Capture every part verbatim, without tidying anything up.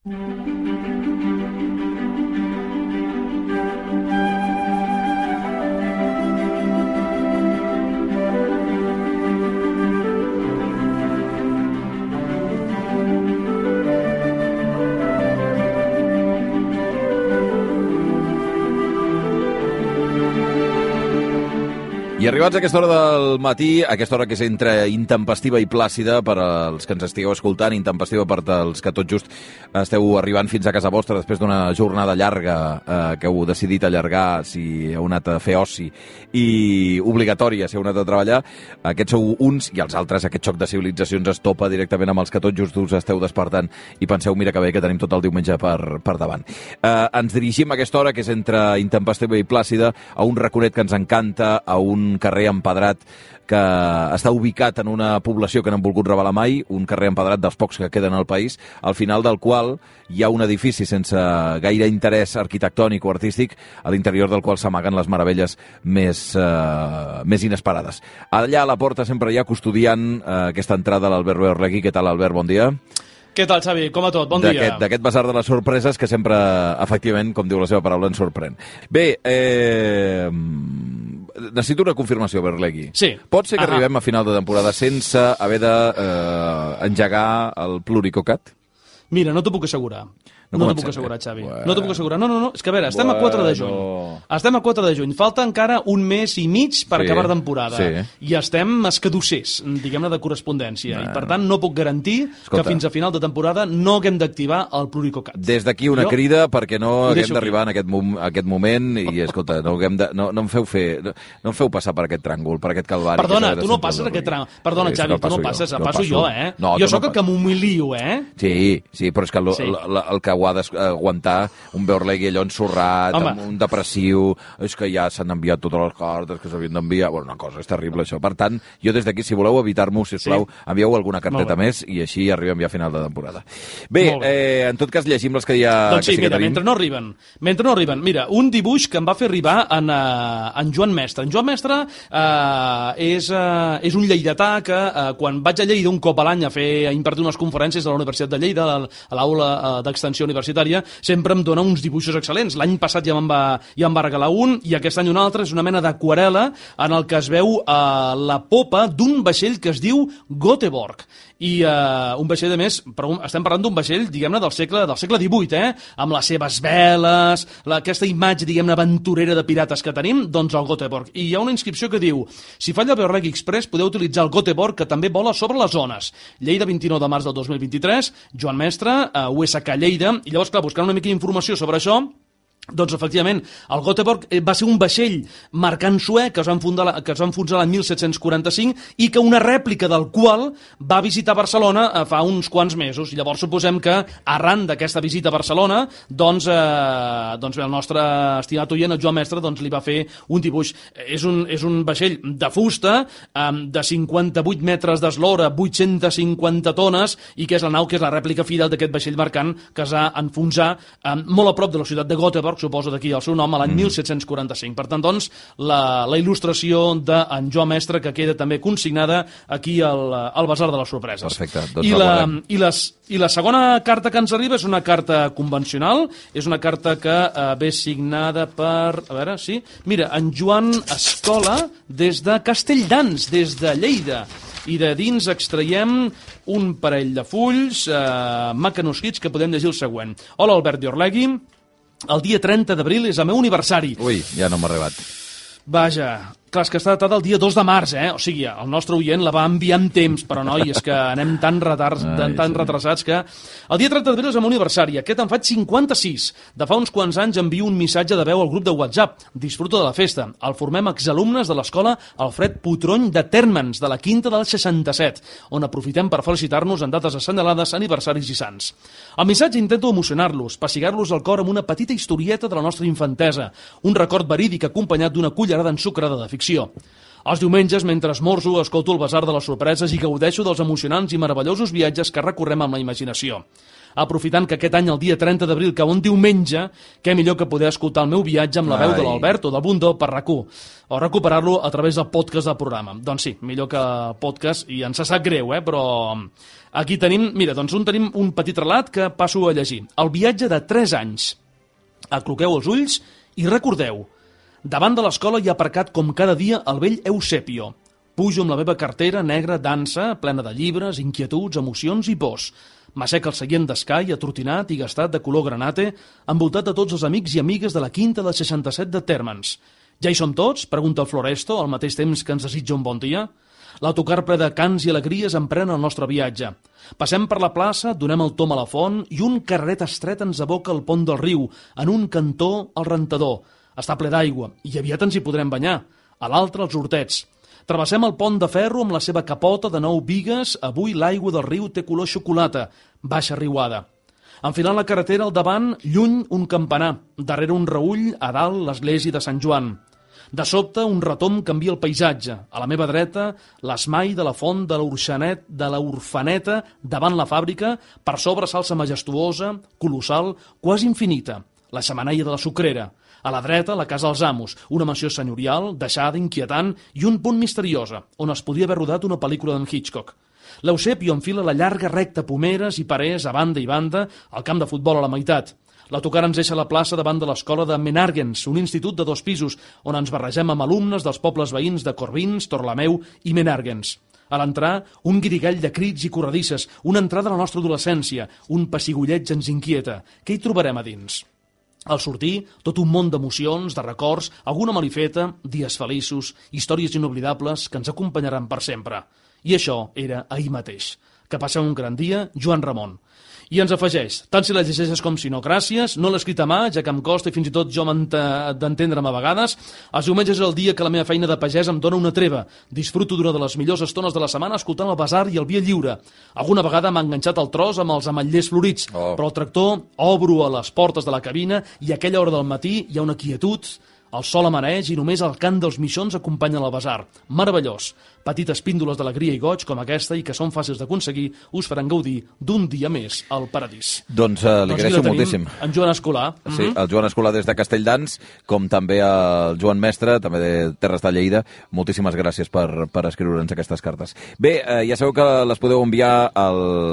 I arribats a aquesta hora del matí, aquesta hora que és entre intempestiva i plàcida per als que ens estigueu escoltant, intempestiva per als que tot just esteu arribant fins a casa vostra després d'una jornada llarga eh, que heu decidit allargar si heu anat a fer oci i obligatòria si heu anat a treballar. Aquests sou uns i els altres, aquest xoc de civilitzacions es topa directament amb els que tot just us esteu despertant i penseu, mira que bé que tenim tot el diumenge per, per davant. Eh, ens dirigim a aquesta hora que és entre intempestiva i plàcida a un raconet que ens encanta, a un carrer empedrat que està ubicat en una població que no han volgut revelar mai, un carrer empedrat dels pocs que queden al país, al final del qual hi ha un edifici sense gaire interès arquitectònic o artístic, a l'interior del qual s'amaguen les meravelles més, eh, més inesperades. Allà a la porta sempre hi ha custodiant eh, aquesta entrada a l'Albert Orlegui. Què tal, Albert? Bon dia. Què tal, Xavi? Com a tot? Bon dia. D'aquest basar de les sorpreses que sempre, efectivament, com diu la seva paraula, ens sorprèn. Bé, eh... necessito una confirmació, Berlegui. Sí. Pot ser que Ahà. arribem a final de temporada sense haver d'engegar de, eh, el Pluricocat? Mira, no t'ho puc assegurar. No, No, no t'ho puc ser, assegurar, eh? Xavi. Bueno. No t'ho puc assegurar. No, no, no. És que a veure, estem Bueno. a quatre de juny. Estem a quatre de juny. Falta encara un mes i mig per Sí, acabar temporada. sí. I estem escadossers, diguem-ne, de correspondència. Bueno. I, per tant, no puc garantir Escolta. que fins a final de temporada no haguem d'activar el Pluricocat. Des d'aquí una Jo crida perquè no ho haguem deixo d'arribar en aquest, mom aquest moment i, escolta, no, haguem de, no, no, em feu fer, no, no em feu passar per aquest tràngol, per aquest calvari. Perdona, que tu no passes aquest tram. Perdona, Sí, Xavi, no tu no passo passes, jo, el no passo passo. jo, eh? No, jo tu sóc no el que m'humilio, eh? Sí, sí, però és que el, Sí. el, el que ho ha d'aguantar un Beorlegui allò ensorrat, Home. amb un depressiu, és que ja s'han enviat totes les cartes que s'havien d'enviar, bueno, una cosa, és terrible això. Per tant, jo des d'aquí, si voleu evitar-m'ho, sisplau, sí. envieu alguna carteta més i així arribem ja a final de temporada. Bé, eh, en tot cas llegim les que hi ha... Doncs sí, que sí mira, que mentre no arriben, mentre no arriben, mira, un dibuix que em va fer arribar en, uh, en Joan Mestre. En Joan Mestre uh, és, uh, és un lleidatà que uh, quan vaig a Lleida un cop a l'any a fer a impartir unes conferències a la Universitat de Lleida, a l'aula uh, d'extensió universitària, sempre em dona uns dibuixos excel·lents. L'any passat ja me'n va, ja em va regalar un i aquest any un altre. És una mena d'aquarel·la en el que es veu uh, la popa d'un vaixell que es diu Göteborg. I uh, un vaixell, a més, però estem parlant d'un vaixell, diguem-ne, del segle, del segle divuit, eh? Amb les seves veles, la, aquesta imatge, diguem-ne, aventurera de pirates que tenim, doncs el Göteborg. I hi ha una inscripció que diu: si falla el Beorlegui Express, podeu utilitzar el Göteborg, que també vola sobre les zones. Lleida, vint-i-nou de març del dos mil vint-i-tres, Joan Mestre, uh, U S K Lleida. I llavors, clar, buscant una mica d'informació sobre això, doncs, efectivament, el Göteborg va ser un vaixell mercant suec que es va enfonsar, que es va enfonsar l'any mil set-cents quaranta-cinc i que una rèplica del qual va visitar Barcelona fa uns quants mesos. Llavors, suposem que, arran d'aquesta visita a Barcelona, doncs, eh, doncs el nostre estimat oient, el Joan Mestre, doncs, li va fer un dibuix. És un, és un vaixell de fusta, eh, de cinquanta-vuit metres d'eslora, vuit-centes cinquanta tones, i que és la nau, que és la rèplica fidel d'aquest vaixell mercant que es va enfonsar eh, molt a prop de la ciutat de Göteborg, suposo d'aquí el seu nom, a l'any mm. mil set-cents quaranta-cinc. Per tant, doncs, la, la il·lustració d'en Joan Mestre, que queda també consignada aquí al, al Basar de les Sorpreses. Perfecte, doncs I la, la, i, les, I la segona carta que ens arriba és una carta convencional, és una carta que eh, ve signada per... A veure, sí? Mira, en Joan Escola, des de Castelldans, des de Lleida. I de dins extraiem un parell de fulls eh, macanoscrits que podem llegir el següent. Hola, Albert Beorlegui. El dia trenta d'abril és el meu aniversari. Ui, ja no m'ha arribat. Vaja, clar, és que està datada el dia dos de març, eh? O sigui, el nostre oient la va enviar amb temps, però noi, és que anem tan, retards, Ai, tan, tan sí. retrasats que... El dia trenta d'abril és el meu aniversari, aquest en faig cinquanta-sis. De fa uns quants anys envio un missatge de veu al grup de WhatsApp. Disfruto de la festa. El formem exalumnes de l'escola Alfred Putrony de Térmens, de la quinta del seixanta-set, on aprofitem per felicitar-nos en dates assenyalades, aniversaris i sants. Al missatge intento emocionar-los, pessigar-los el cor amb una petita historieta de la nostra infantesa, un record verídic acompanyat d'una cullerada ensucrada de ficció. Els diumenges, mentre esmorzo, escolto el Basar de les Sorpreses i gaudeixo dels emocionants i meravellosos viatges que recorrem amb la imaginació. Aprofitant que aquest any, el dia trenta d'abril, cau un diumenge, què millor que poder escoltar el meu viatge amb la veu de l'Albert o del Bundó per RAC u, o recuperar-lo a través del podcast del programa. Doncs sí, millor que podcast, i ens sap greu, eh? Però Aquí tenim, mira, doncs un tenim un petit relat que passo a llegir. El viatge de tres anys. Acloqueu els ulls i recordeu. Davant de l'escola hi ha aparcat com cada dia el vell Eusebio. Pujo amb la meva cartera negra dansa, plena de llibres, inquietuds, emocions i pors. M'aixeca el seient d'escai, atrotinat i gastat de color granate, envoltat de tots els amics i amigues de la quinta del seixanta-set de Térmens. Ja hi som tots? Pregunta el Floresto, al mateix temps que ens desitja un bon dia. L'autocar ple de cants i alegries emprèn el nostre viatge. Passem per la plaça, donem el tom a la font i un carreret estret ens aboca al pont del riu, en un cantó el rentador. Està ple d'aigua i aviat ens hi podrem banyar. A l'altre els hortets. Travessem el pont de ferro amb la seva capota de nou bigues. Avui l'aigua del riu té color xocolata, baixa riuada. Enfilant la carretera al davant, lluny un campanar, darrere un reull, a dalt l'església de Sant Joan. De sobte, un retomb canvia el paisatge. A la meva dreta, l'esmai de la font de l'Orxanet, de l'Orfaneta, davant la fàbrica, per sobre s'alça majestuosa, colossal, quasi infinita, la xemeneia de la sucrera. A la dreta, la casa dels amos, una mansió senyorial, deixada, inquietant i un punt misteriosa, on es podia haver rodat una pel·lícula d'en Hitchcock. L'Eusebio enfila la llarga recta pomeres i parers a banda i banda, al camp de futbol a la meitat. L'autocar ens deixa a la plaça davant de l'escola de Menàrguens, un institut de dos pisos, on ens barregem amb alumnes dels pobles veïns de Corbins, Torlameu i Menàrguens. A l'entrar, un guirigall de crits i corredisses, una entrada a la nostra adolescència, un pessigolleig ens inquieta. Què hi trobarem a dins? Al sortir, tot un món d'emocions, de records, alguna malifeta, dies feliços, històries inoblidables que ens acompanyaran per sempre. I això era ahir mateix. Que passeu un gran dia, Joan Ramon. I ens afegeix, tant si la llegeixes com si no, gràcies, no l'he escrit a mà, ja que em costa i fins i tot jo m'ent d'entendre'm a vegades. Els diumenges és el dia que la meva feina de pagès em dona una treva. Disfruto d'una de les millors estones de la setmana escoltant el basar i el via lliure. Alguna vegada m'ha enganxat el tros amb els ametllers florits, oh. però el tractor obro a les portes de la cabina i a aquella hora del matí hi ha una quietud, el sol amaneix i només el cant dels mixons acompanya el basar. Meravellós. Petites píndoles d'alegria i goig com aquesta i que són fàcils d'aconseguir us faran gaudir d'un dia més al paradís. Doncs uh, li agraeixo moltíssim. En Joan Escolà. Sí, el Joan Escolà des de Castelldans, com també el Joan Mestre, també de Terres de Lleida. Moltíssimes gràcies per, per escriure'ns aquestes cartes. Bé, eh, ja sabeu que les podeu enviar a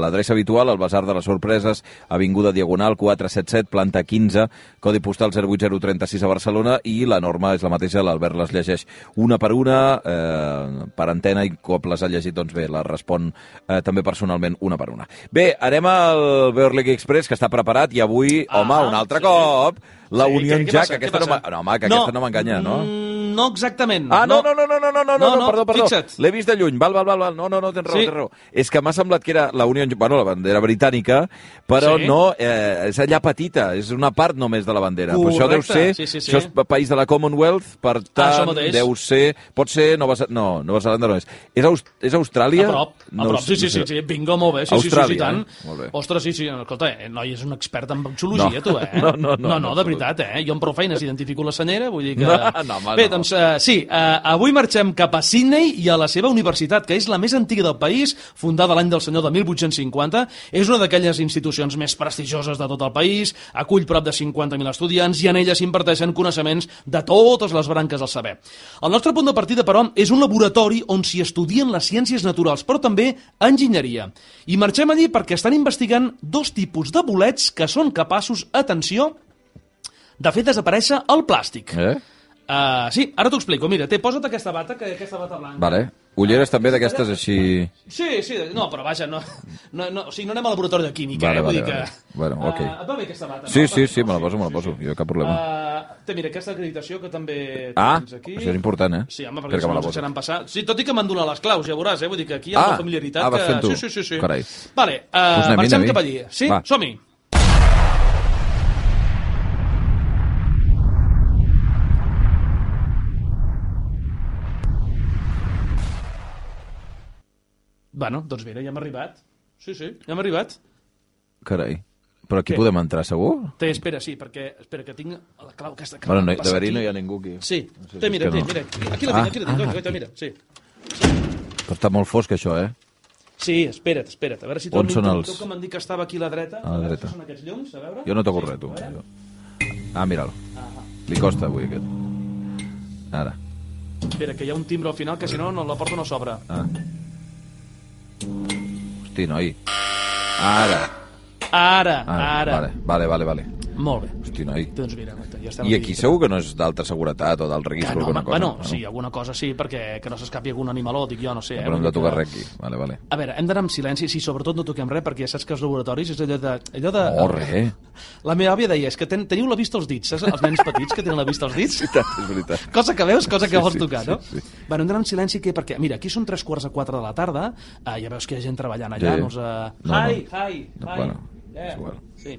l'adreça habitual, al Basar de les Sorpreses, Avinguda Diagonal quatre set set, planta quinze, codi postal zero vuit zero tres sis a Barcelona, i la norma és la mateixa, l'Albert les llegeix una per una, eh, per antena, i cop les ha llegit, doncs bé, les respon eh, també personalment una per una. Bé, anem al Beverly Express, que està preparat, i avui, ah, home, un altre sí. cop, la sí, Union què, què Jack, passa, aquesta no, no, home, que no, aquesta no m'enganya, no? No exactament. Ah, no, no, no, no, no, no, no, no, no perdó, perdó. Fixa't. L'he vist de lluny, val, val, val, val. No, no, no, tens raó, sí. tens raó. És que m'ha semblat que era la Union, bueno, la bandera britànica, però sí. no, eh, és allà petita, és una part només de la bandera. Però això deu ser, sí, sí, sí. això és país de la Commonwealth, per tant, ah, deu ser, pot ser Nova, no, Nova Zelanda no és. És, Aust és Austràlia? A prop, a no, prop, sí, sí, sí, sí, bingo, molt bé, sí, Austràlia, sí, sí, sí, tant. Eh? Molt bé. Ostres, sí, sí, escolta, eh, noi, és un expert en vexologia, no. tu, eh? No, no, no, no, no, de veritat, eh? Jo amb prou feines identifico la senyera, vull dir que... No, no, home, bé, no. doncs, uh, sí, uh, avui marxem cap a Sydney i a la seva universitat, que és la més antiga del país, fundada l'any del senyor de mil vuit-cents cinquanta, és una d'aquelles institucions més prestigioses de tot el país, acull prop de cinquanta mil estudiants i en ella s'imparteixen coneixements de totes les branques del saber. El nostre punt de partida, però, és un laboratori on s'hi estudien les ciències naturals, però també enginyeria. I marxem allí perquè estan investigant dos tipus de bolets que són capaços, atenció, de fer desaparèixer el plàstic. Eh? Uh, sí, ara t'ho explico. Mira, té, posa't aquesta bata, que aquesta bata blanca. Vale. Ulleres també d'aquestes així... Sí, sí, no, però vaja, no, no, no, o sigui, no anem al laboratori de química, vale, eh? Vull vale, dir que... Vale. Bueno, ok. Uh, et va bé aquesta bata, sí, no? Sí, sí, me la poso, me la poso, jo cap problema. Uh, té, mira, aquesta acreditació que també ah, tens aquí. això és important, eh? Sí, home, perquè si no ens deixaran passar. Sí, tot i que m'han donat les claus, ja veuràs, eh? Vull dir que aquí hi ha ah, una familiaritat ah, vas fent que... tu. Sí, sí, sí, sí. Carai. Vale, uh, pues marxem cap allí. Sí, som-hi. Bueno, doncs mira, ja hem arribat. Sí, sí, ja hem arribat. Carai. Però aquí Què? podem entrar, segur? Té, espera, sí, perquè espera que tinc la clau aquesta. Que bueno, no, de verí no hi ha ningú aquí. Sí, no sé té, si mira, té, no. mira, aquí la tinc, aquí la tinc, ah, ah, mira, sí. sí. Però està molt fosc, això, eh? Sí, espera't, espera't, a veure si on són els... que m'han dit que estava aquí a la dreta. A la dreta. Són aquests llums, a veure. Jo no toco res, tu. Jo. Ah, mira'l. Ah, li costa avui, aquest. Ara. Espera, que hi ha un timbre al final, que si no, no la porta no s'obre. Ah. Hosti, noi. Ara. Ara, ara. ara. Vale, vale, vale. vale. Molt bé. Hosti, noi. Doncs mira, ja estem I aquí segur que no és d'alta seguretat o d'alt registre no, alguna cosa? Bueno, no? sí, alguna cosa sí, perquè que no s'escapi algun animaló, dic jo, no sé. No, Eh? però hem de tocar res aquí. Vale, vale. A veure, hem d'anar amb silenci, sí, sobretot no toquem res, perquè ja saps que els laboratoris és allò de... Allò de... Oh, res. La meva àvia deia, és que ten, teniu la vista als dits, saps? Els nens petits que tenen la vista als dits. És veritat, és veritat. Cosa que veus, cosa que Sí, vols sí, tocar, sí, no? sí. Bueno, hem d'anar amb silenci, què? Perquè, mira, aquí són tres quarts a quatre de la tarda, eh, ja veus que hi ha gent treballant allà, Sí. no us... Uh... No, hi, no. hi, hi. No, bueno, yeah. és igual. Sí.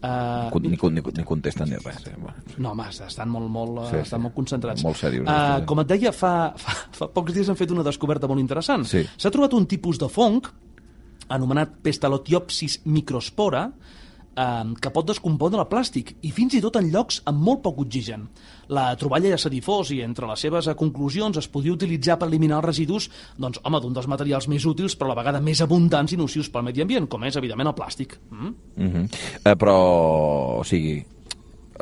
Uh, Ni, ni, ni, ni contesten ni res. Eh? Bueno. no, home, estan molt, molt, Sí, sí, sí. estan molt concentrats. Molt serios, Uh, aquests, eh? com et deia, fa, fa, fa pocs dies han fet una descoberta molt interessant. Sí. S'ha trobat un tipus de fong anomenat Pestalotiopsis microspora, eh, que pot descompondre el plàstic i fins i tot en llocs amb molt poc oxigen. La troballa ja s'ha difós i entre les seves eh, conclusions es podria utilitzar per eliminar els residus doncs, home, d'un dels materials més útils però a la vegada més abundants i nocius pel medi ambient, com és evidentment el plàstic. Mm? Mm-hmm. eh, però, o sigui,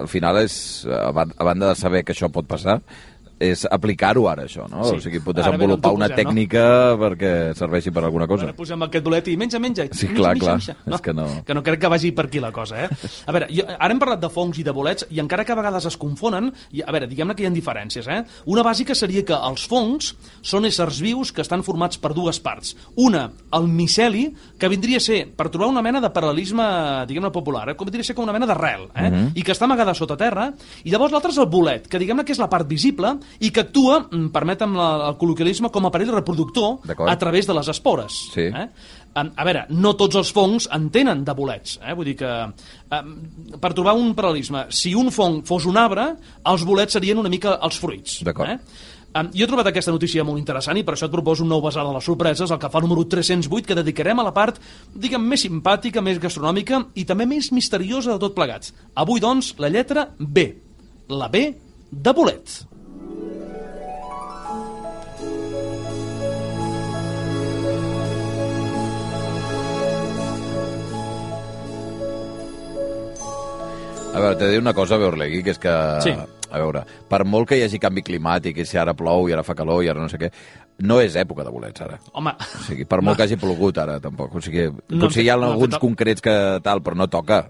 al final és, a ban- a banda de saber que això pot passar, és aplicar-ho ara, això, no? Sí. O sigui, pot Ara ben desenvolupar on t'ho una posem, no? tècnica perquè serveixi per alguna cosa. Ara posem aquest bolet i menja, menja. Sí, menja, clar, menja, clar. menja. És que no. Que no crec que vagi per aquí la cosa, eh? A veure, jo, ara hem parlat de fongs i de bolets i encara que a vegades es confonen, i, a veure, diguem-ne que hi ha diferències, eh? Una bàsica seria que els fongs són éssers vius que estan formats per dues parts. Una, el miceli, que vindria a ser, per trobar una mena de paral·lelisme, diguem-ne popular, eh? Com vindria a ser com una mena d'arrel, eh? Mhm. I que està amagada sota terra, i llavors l'altre és el bolet, que diguem-ne que és la part visible i que actua, mm, permetem la, el col·loquialisme, com a aparell reproductor D'acord. a través de les espores. Sí. Eh? A, a veure, no tots els fongs en tenen de bolets. Eh? Vull dir que, eh, per trobar un paral·lelisme, si un fong fos un arbre, els bolets serien una mica els fruits. D'acord. Eh? Um, jo he trobat aquesta notícia molt interessant i per això et proposo un nou basar de les sorpreses, el que fa número tres-cents vuit, que dedicarem a la part, diguem, més simpàtica, més gastronòmica i també més misteriosa de tot plegat. Avui, doncs, la lletra B. La B de bolet. A veure, t'he de dir una cosa, Beorlegui, que és que... Sí. A veure, per molt que hi hagi canvi climàtic, i si ara plou i ara fa calor i ara no sé què, no és època de bolets, ara. Home, O sigui, per molt que hagi plogut ara, tampoc. O sigui, No potser hi ha han fet- no han alguns fet el- concrets que tal, però no toca.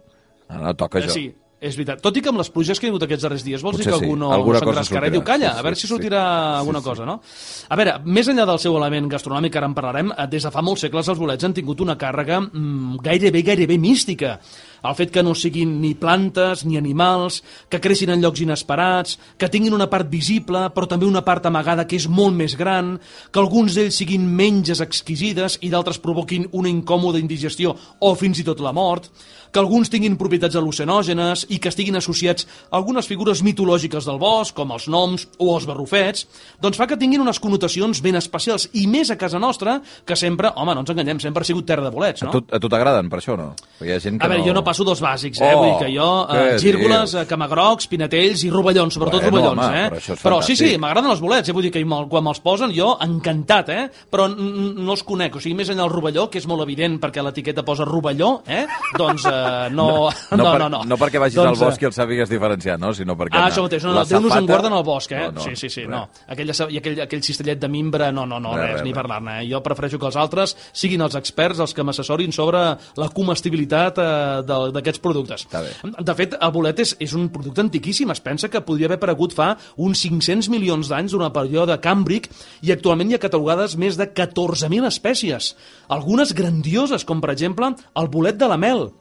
No, no toca eh, això. sí, és veritat. Tot i que amb les pluges que hi ha hagut aquests darrers dies, vols Potser dir que sí. algú no Alguna cosa s'engrescarà i diu, sortirà. calla, Sí, a veure sí, si sí. sortirà alguna Sí, sí. cosa, no? A veure, més enllà del seu element gastronòmic, ara en parlarem, eh, des de fa molts segles els bolets han tingut una càrrega mm, gairebé, gairebé mística. El fet que no siguin ni plantes ni animals, que creixin en llocs inesperats, que tinguin una part visible però també una part amagada que és molt més gran, que alguns d'ells siguin menges exquisides i d'altres provoquin una incòmoda indigestió o fins i tot la mort, que alguns tinguin propietats al·lucinògenes i que estiguin associats a algunes figures mitològiques del bosc, com els noms o els barrufets, doncs fa que tinguin unes connotacions ben especials i més a casa nostra, que sempre, home, no ens enganyem, sempre ha sigut terra de bolets, no? A tu, a tu t'agraden, per això, no? Perquè hi ha gent que A veure, no... jo no passo dels bàsics, eh? Oh, Vull dir que jo, eh, què gírgoles, dius? eh, camagrocs, pinatells i rovellons, sobretot Bueno, rovellons, home, eh? però això és però sí, sí, fantàstic. m'agraden els bolets, eh? Vull dir que me'l- quan me'ls posen jo, encantat, eh? Però n- n- no els conec, o sigui, més enllà del rovelló, que és molt evident perquè l'etiqueta posa rovelló, eh? Doncs eh, no, no, No, no, per, no, no. no perquè vagis doncs, al bosc i el sàpigues diferenciar, no? Sinó perquè... Ah, no, això mateix, no, la no, Déu nos en safata- guarda en el bosc, eh? No, no, sí, sí, sí, res. no. Aquella, I aquell, aquell cistellet de mimbre, no, no, no, Res, res, res, ni res. parlar-ne. Eh? Jo prefereixo que els altres siguin els experts els que m'assessorin sobre la comestibilitat eh, de- d'aquests productes. Està bé. De fet, el bolet és, és un producte antiquíssim. Es pensa que podria haver aparegut fa uns cinc-cents milions d'anys durant el període càmbric i actualment hi ha catalogades més de catorze mil espècies. Algunes grandioses, com per exemple el bolet de la mel,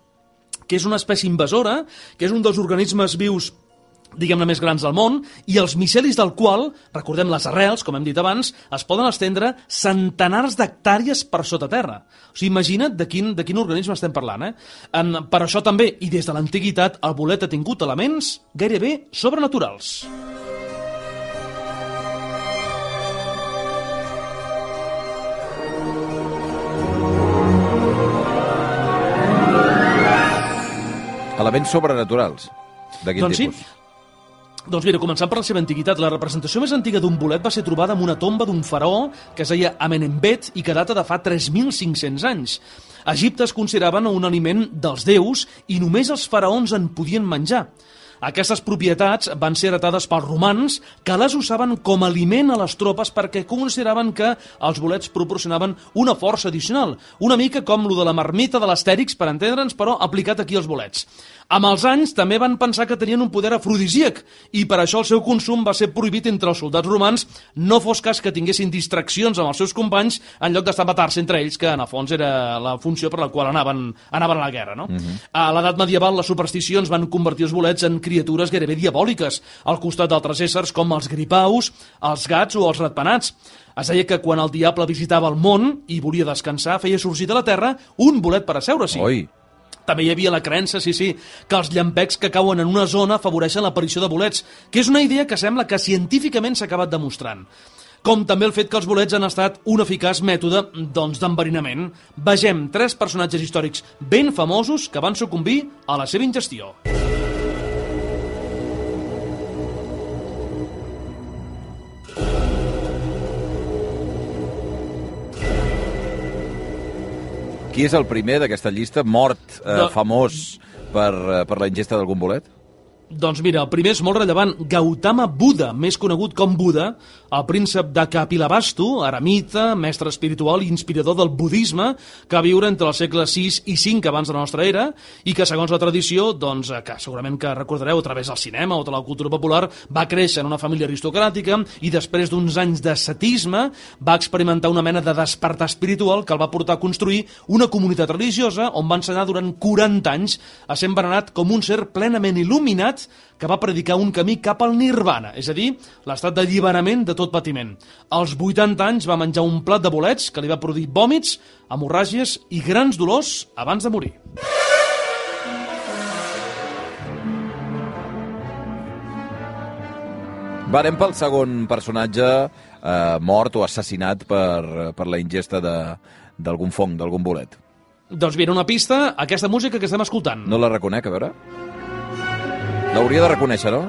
que és una espècie invasora, que és un dels organismes vius diguem-ne més grans del món, i els micelis del qual, recordem les arrels, com hem dit abans, es poden estendre centenars d'hectàrees per sota terra. O sigui, imagina't de quin, de quin organisme estem parlant, eh? Um, per això també, i des de l'antiguitat, el bolet ha tingut elements gairebé sobrenaturals. Elements sobrenaturals. De quin Doncs sí. tipus? Doncs mira, començant per la seva antiguitat, la representació més antiga d'un bolet va ser trobada en una tomba d'un faraó que es deia Amenembet i que data de fa tres mil cinc-cents anys. A Egipte es consideraven un aliment dels déus i només els faraons en podien menjar. Aquestes propietats van ser heretades pels romans, que les usaven com a aliment a les tropes perquè consideraven que els bolets proporcionaven una força addicional, una mica com lo de la marmita de l'Astèrix, per entendre'ns, però aplicat aquí als bolets. Amb els anys també van pensar que tenien un poder afrodisíac i per això el seu consum va ser prohibit entre els soldats romans, no fos cas que tinguessin distraccions amb els seus companys en lloc d'estar a matar-se entre ells, que en el fons era la funció per la qual anaven, anaven a la guerra. No? Uh-huh. A l'edat medieval les supersticions van convertir els bolets en criatures gairebé diabòliques, al costat d'altres éssers com els gripaus, els gats o els ratpenats. Es deia que quan el diable visitava el món i volia descansar, feia sorgir de la terra un bolet per asseure-s'hi. Oi! També hi havia la creença, sí, sí, que els llampecs que cauen en una zona afavoreixen l'aparició de bolets, que és una idea que sembla que científicament s'ha acabat demostrant. Com també el fet que els bolets han estat un eficaç mètode doncs, d'enverinament. Vegem tres personatges històrics ben famosos que van sucumbir a la seva ingestió. Qui és el primer d'aquesta llista mort eh, No. famós per, eh, per la ingesta d'algun bolet? Doncs mira, el primer és molt rellevant, Gautama Buda, més conegut com Buda, el príncep de Kapilavastu, eremita, mestre espiritual i inspirador del budisme, que va viure entre els segles sis i cinc abans de la nostra era, i que segons la tradició, doncs, que segurament que recordareu a través del cinema o de la cultura popular, va créixer en una família aristocràtica i després d'uns anys d'ascetisme va experimentar una mena de despertar espiritual que el va portar a construir una comunitat religiosa on va ensenyar durant quaranta anys a ser venerat com un ser plenament il·luminat que va predicar un camí cap al nirvana, és a dir, l'estat d'alliberament de tot patiment. Als vuitanta anys va menjar un plat de bolets que li va produir vòmits, hemorràgies i grans dolors abans de morir. Va, anem pel segon personatge eh, mort o assassinat per, per la ingesta de- d'algun fong, d'algun bolet. Doncs mira, una pista, aquesta música que estem escoltant. No la reconec, a veure. L'hauria de reconèixer, no?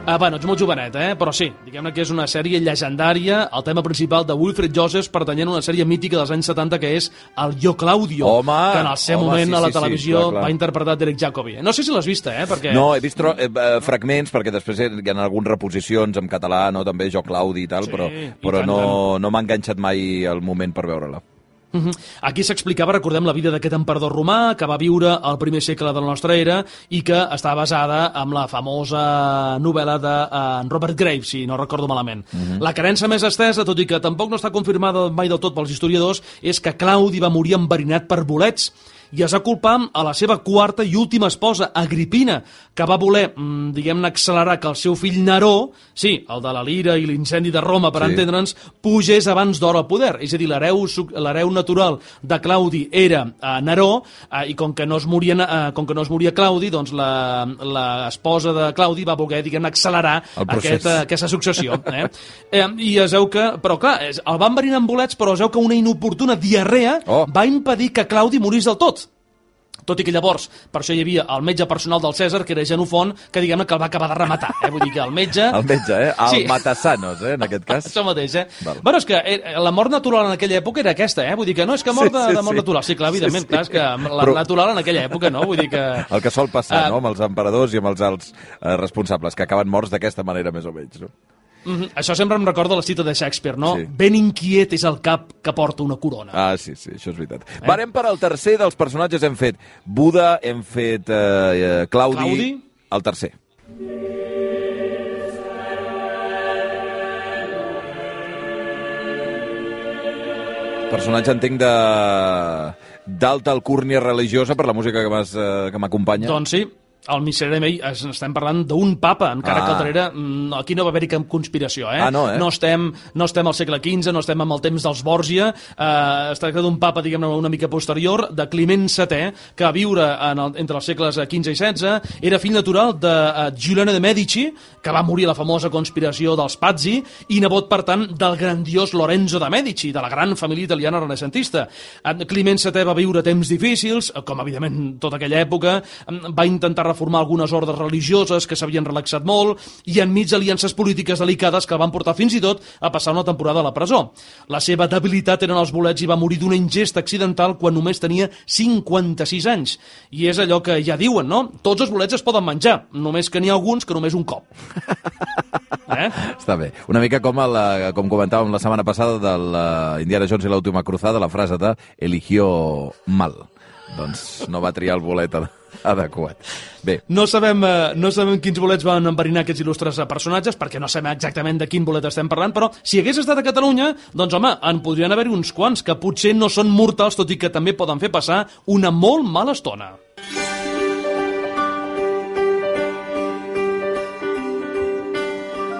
Ah, bueno, ets molt jovenet, eh? Però sí, diguem-ne que és una sèrie llegendària, el tema principal de Wilfred Joseph pertanyent a una sèrie mítica dels anys setanta que és el Yo Claudio, Home, que en el seu home, moment sí, a la sí, sí, televisió clar, clar. va interpretar Derek Jacobi. No sé si l'has vista, eh? Perquè... No, he vist tro- eh, eh, fragments, perquè després hi ha algunes reposicions en català, no? També Jo Claudi i tal, Sí, però, i però tant, no, no m'ha enganxat mai el moment per veure-la. Uh-huh. Aquí s'explicava, recordem, la vida d'aquest emperador romà que va viure al primer segle de la nostra era i que està basada en la famosa novel·la de uh, Robert Graves, si no recordo malament. Uh-huh. La creença més estesa, tot i que tampoc no està confirmada mai del tot pels historiadors, és que Claudi va morir enverinat per bolets i es va culpar a la seva quarta i última esposa, Agripina, que va voler, mmm, diguem-ne, accelerar que el seu fill Neró, sí, el de la lira i l'incendi de Roma, per Sí. entendre'ns, pugés abans d'hora al poder. És a dir, l'hereu suc- l'hereu natural de Claudi era eh, Neró, eh, i com que, no es moria, eh, com que no es moria Claudi, doncs la- l'esposa de Claudi va voler, diguem-ne, accelerar El procés. aquest, eh, aquesta successió. Eh? eh, I es veu que... Però clar, es- el van enverinar amb bolets, però es veu que una inoportuna diarrea Oh. va impedir que Claudi morís del tot. Tot i que llavors, per això hi havia el metge personal del Cèsar, que era Genofont, que diguem-ne que el va acabar de rematar. Eh? Vull dir que el metge... El metge, eh? El Sí. Matasanos, eh? En aquest cas. Això mateix, eh? Val. Bueno, és que eh, la mort natural en aquella època era aquesta, eh? Vull dir que no és que mort Sí, de, sí, de mort sí. natural. Sí, clar, evidentment, Sí, sí. clar, és que la Però- natural en aquella època, no? Vull dir que... El que sol passar, Ah. no?, amb els emperadors i amb els alts eh, responsables, que acaben morts d'aquesta manera, més o menys, no? Mm -hmm. Això sempre em recorda la cita de Shakespeare, no? Sí. Ben inquiet és el cap que porta una corona. Ah, sí, sí, això és veritat. Eh? Varem per al tercer dels personatges. Hem fet Buda, hem fet eh, eh, Claudi, Claudi. el tercer. Personatge, entenc, de d'alta alcúrnia religiosa per la música que m'has, eh, que m'acompanya. Doncs sí, al Miserere Mei es- estem parlant d'un papa, encara Ah. que al darrere mm, aquí no va haver-hi cap conspiració, eh? Ah, no, eh? No estem, no estem al segle quinze, no estem amb el temps dels Borgia, eh, es tracta d'un papa, diguem-ne, una mica posterior, de Climent setè, que va viure en el, entre els segles quinze i setze, era fill natural de uh, Giuliano de Medici, que va morir a la famosa conspiració dels Pazzi, i nebot, per tant, del grandiós Lorenzo de Medici, de la gran família italiana renaixentista. Climent setè va viure temps difícils, com evidentment tota aquella època, va intentar reformar algunes ordres religioses que s'havien relaxat molt, i enmig d'aliances polítiques delicades que el van portar fins i tot a passar una temporada a la presó. La seva debilitat eren els bolets i va morir d'una ingesta accidental quan només tenia cinquanta-sis anys. I és allò que ja diuen, no? Tots els bolets es poden menjar, només que n'hi ha alguns que només un cop. Eh? Està bé. Una mica com, el, com comentàvem la setmana passada de l'Indiana Jones i l'última cruzada, la frase de eligió mal. Doncs no va triar el bolet adequat. Bé. No sabem, eh, no sabem quins bolets van enverinar aquests il·lustres personatges, perquè no sabem exactament de quin bolet estem parlant, però si hagués estat a Catalunya, doncs home, en podrien haver-hi uns quants que potser no són mortals, tot i que també poden fer passar una molt mala estona.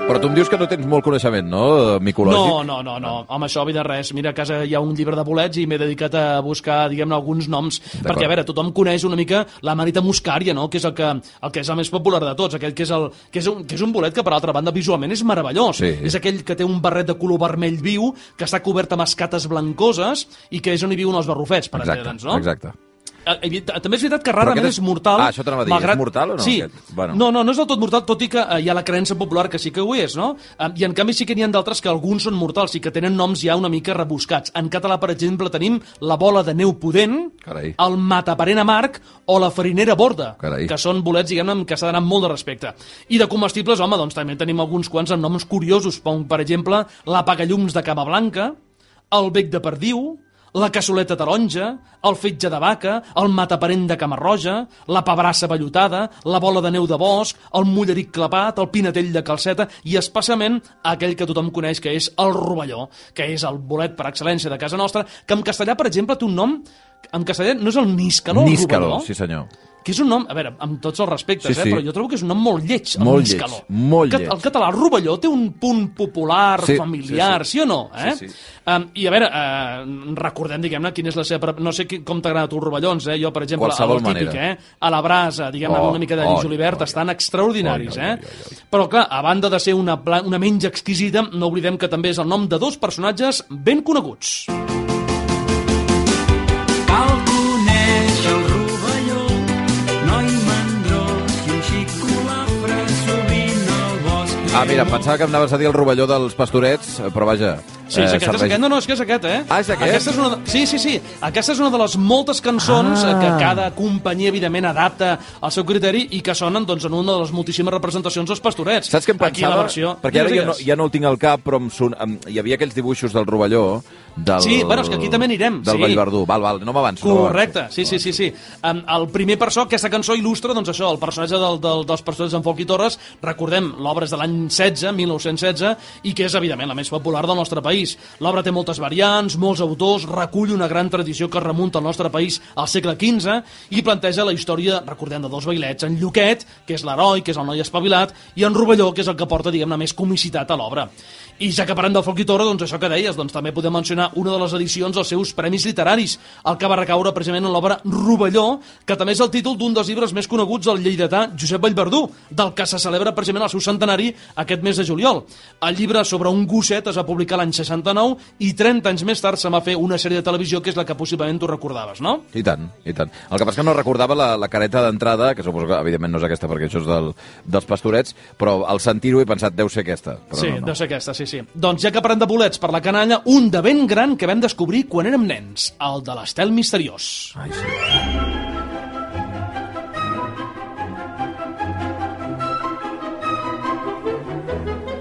Però tu em dius que no tens molt coneixement, no, micològic? No, no, no, no. Home, això, vida res. Mira, a casa hi ha un llibre de bolets i m'he dedicat a buscar, diguem-ne, alguns noms, perquè, a veure, tothom coneix una mica la Manita muscària, no?, que és el que, el que és el més popular de tots, aquell que és, el, que és, un, que és un bolet que, per altra banda, visualment és meravellós. Sí. És aquell que té un barret de color vermell viu, que està cobert amb escates blancoses i que és on hi viuen els barrufets, per entendre'ns, no? Exacte. També és veritat que rarament és mortal. Ah, això t'anava a dir, malgrat... és mortal o no? Sí. Bueno. No, no, no és del tot mortal, tot i que hi ha la creença popular que sí que ho és, no? I en canvi sí que n'hi ha d'altres que alguns són mortals i que tenen noms ja una mica rebuscats. En català, per exemple, tenim la bola de neu pudent, Carai. el mataparent amarg o la farinera borda, Carai. que són bolets, diguem-ne, que s'ha d'anar amb molt de respecte. I de comestibles, home, doncs també tenim alguns quants amb noms curiosos, com, per exemple, l'apagallums de cama blanca, el bec de perdiu, la cassoleta taronja, el fetge de vaca, el mataparent de camarroja, la pebrassa vellutada, la bola de neu de bosc, el mulleric clapat, el pinatell de calceta i especialment aquell que tothom coneix que és el rovelló, que és el bolet per excel·lència de casa nostra, que en castellà, per exemple, té un nom... En castellà no és el níscalo, el níscalo, rovelló? Sí, senyor. Que és un nom, a veure, amb tots els respectes, sí, eh, sí. però jo trobo que és un nom molt lleig, el molt níscalo. Lleig, molt lleig. El català, el rovelló, té un punt popular, sí, familiar, sí, sí. sí o no? Eh? Sí, sí. Um, I a veure, uh, recordem, diguem-ne, quina és la seva... No sé com t'agrada tu els rovellons, eh? Jo, per exemple, Qualsevol el típic, manera. eh? A la brasa, diguem-ne, oh, amb una mica de oh, julivert, oh, estan extraordinaris, oh, eh? oh, oh, oh. Però, clar, a banda de ser una, una menja exquisida, no oblidem que també és el nom de dos personatges ben coneguts. Ah, mira, pensava que em anaves a dir el rovelló dels pastorets, però vaja... Sí, és eh, aquest, serveix... és aquest, no, no, és que és aquest, eh? Ah, és aquest? Aquesta és una de... Sí, sí, sí, aquesta és una de les moltes cançons ah. que cada companyia, evidentment, adapta al seu criteri i que sonen, doncs, en una de les moltíssimes representacions dels pastorets. Saps què em pensava? Aquí la versió... Perquè ara ja no, ja no el tinc al cap, però em son... hi havia aquells dibuixos del rovelló, del... Sí, bueno, és que aquí també anirem. Del sí. Vallverdú, val, val, no m'avanço. Correcte, no sí, sí, sí, sí. Um, el primer per això, aquesta cançó il·lustra, doncs això, el personatge del, del, dels pastorets en Folc i Torres, recordem, l'obra és de l'any setze, mil nou-cents setze, i que és, evidentment, la més popular del nostre país. L'obra té moltes variants, molts autors, recull una gran tradició que remunta al nostre país al segle quinze i planteja la història, recordem, de dos vailets, en Lluquet, que és l'heroi, que és el noi espavilat, i en Rovelló, que és el que porta, diguem-ne, més comicitat a l'obra. I ja que parlem del Folc i Torres, doncs això que deies, doncs també podem mencionar una de les edicions dels seus premis literaris, el que va recaure precisament en l'obra Rovelló, que també és el títol d'un dels llibres més coneguts del lleidatà Josep Vallverdú, del que se celebra precisament el seu centenari aquest mes de juliol. El llibre sobre un gosset es va publicar l'any seixanta-nou i trenta anys més tard se va fer una sèrie de televisió que és la que possiblement tu recordaves, no? I tant, i tant. El que passa que no recordava la, la careta d'entrada, que suposo que evidentment no és aquesta perquè això és del, dels pastorets, però al sentir-ho he pensat, deu ser aquesta. Però sí, no, no. deu ser aquesta, sí, sí. Doncs ja que parlem de bolets per la canalla, un de ben gran que vam descobrir quan érem nens, el de l'estel misteriós. Ai, sí.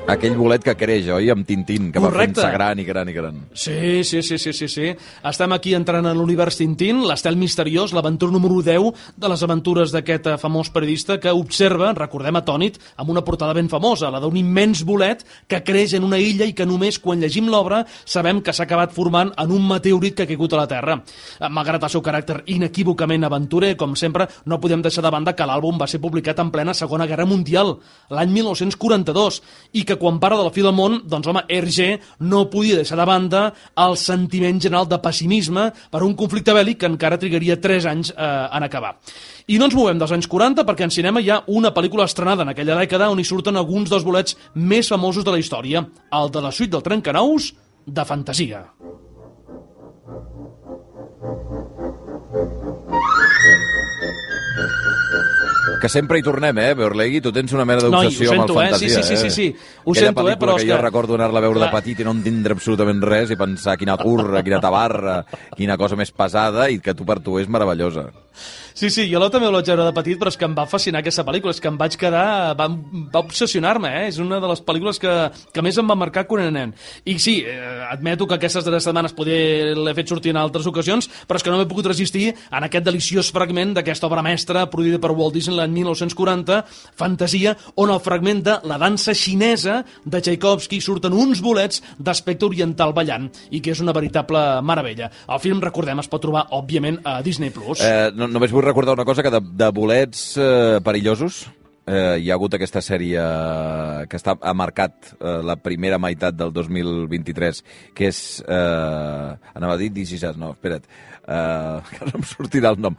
Aquell bolet que creix, oi? Amb Tintín, que Correcte. va fent-se gran i gran i gran. Sí, sí, sí, sí, sí, sí. Estem aquí entrant en l'univers Tintín, l'estel misteriós, l'aventura número deu de les aventures d'aquest famós periodista que observa, recordem atònit, amb una portada ben famosa, la d'un immens bolet que creix en una illa i que només quan llegim l'obra sabem que s'ha acabat formant en un meteorit que ha caigut a la Terra. Malgrat el seu caràcter inequívocament aventurer, com sempre, no podem deixar de banda que l'àlbum va ser publicat en plena Segona Guerra Mundial, l'any mil nou-cents quaranta-dos, i que que quan parla de la fi del món, doncs home, Hergé no podia deixar de banda el sentiment general de pessimisme per un conflicte bèl·lic que encara trigaria tres anys eh, en acabar. I no ens movem dels anys quaranta perquè en cinema hi ha una pel·lícula estrenada en aquella dècada on hi surten alguns dels bolets més famosos de la història, el de la suite del Trencanous de Fantasia. Que sempre hi tornem, eh, Beorlegui? Tu tens una mena d'obsessió no, amb el Fantasia, eh? Sí, sí, sí, sí, sí. Ho Aquella sento, eh, però que és jo que... recordo anar-la a veure Clar. de petit i no entendre absolutament res i pensar quina turra, quina tabarra, quina cosa més pesada i que tu per tu és meravellosa. Sí, sí, jo també la vaig veure de petit, però és que em va fascinar aquesta pel·lícula, és que em vaig quedar... va, va obsessionar-me, eh? És una de les pel·lícules que, que més em va marcar quan era nen. I sí, eh, admeto que aquestes darreres setmanes poder l'he fet sortir en altres ocasions, però és que no m'he pogut resistir en aquest deliciós fragment d'aquesta obra mestra produïda per Walt Disney l'any mil nou-cents quaranta, Fantasia, on el fragment de la dansa xinesa de Tchaikovsky surten uns bolets d'aspecte oriental ballant, i que és una veritable meravella. El film, recordem, es pot trobar, òbviament, a Disney plus. Eh, no, només vull recordar una cosa, que de, de bolets eh, perillosos eh, hi ha hagut aquesta sèrie que està, ha marcat eh, la primera meitat del dos mil vint-i-tres, que és... Eh, anava a dir This Is Us, no, espera't, eh, que no em sortirà el nom.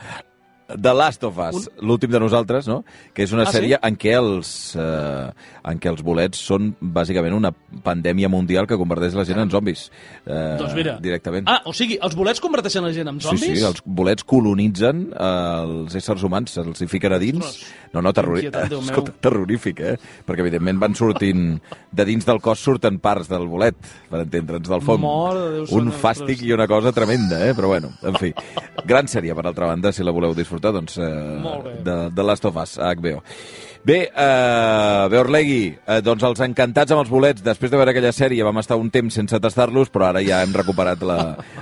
The Last of Us, Un... l'últim de nosaltres, no? Que és una ah, sèrie sí? en què els eh, en què els bolets són bàsicament una pandèmia mundial que converteix la gent en zombis. Eh, doncs mira. Directament. Ah, o sigui, els bolets converteixen la gent en zombis? Sí, sí, els bolets colonitzen eh, els éssers humans, els hi fiquen a dins. Ostres, no, no, terrori... Escolta, terrorífic, eh? Perquè, evidentment, van sortint... De dins del cos surten parts del bolet, per entendre'ns, del fong. Déu, un fàstic i una cosa tremenda, eh? Però bueno, en fi. Gran sèrie, per altra banda, si la voleu disfrutar, doncs, eh, de, de Last of Us, a H B O. Bé, eh, Beorlegui, eh, doncs els encantats amb els bolets. Després de veure aquella sèrie vam estar un temps sense tastar-los, però ara ja hem recuperat la,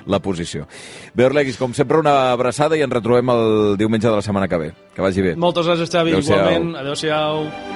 la posició. Beorlegui, com sempre, una abraçada i ens retrobem el diumenge de la setmana que ve. Que vagi bé. Moltes gràcies, Xavi. Adéu-siau. Igualment. Adéu-siau.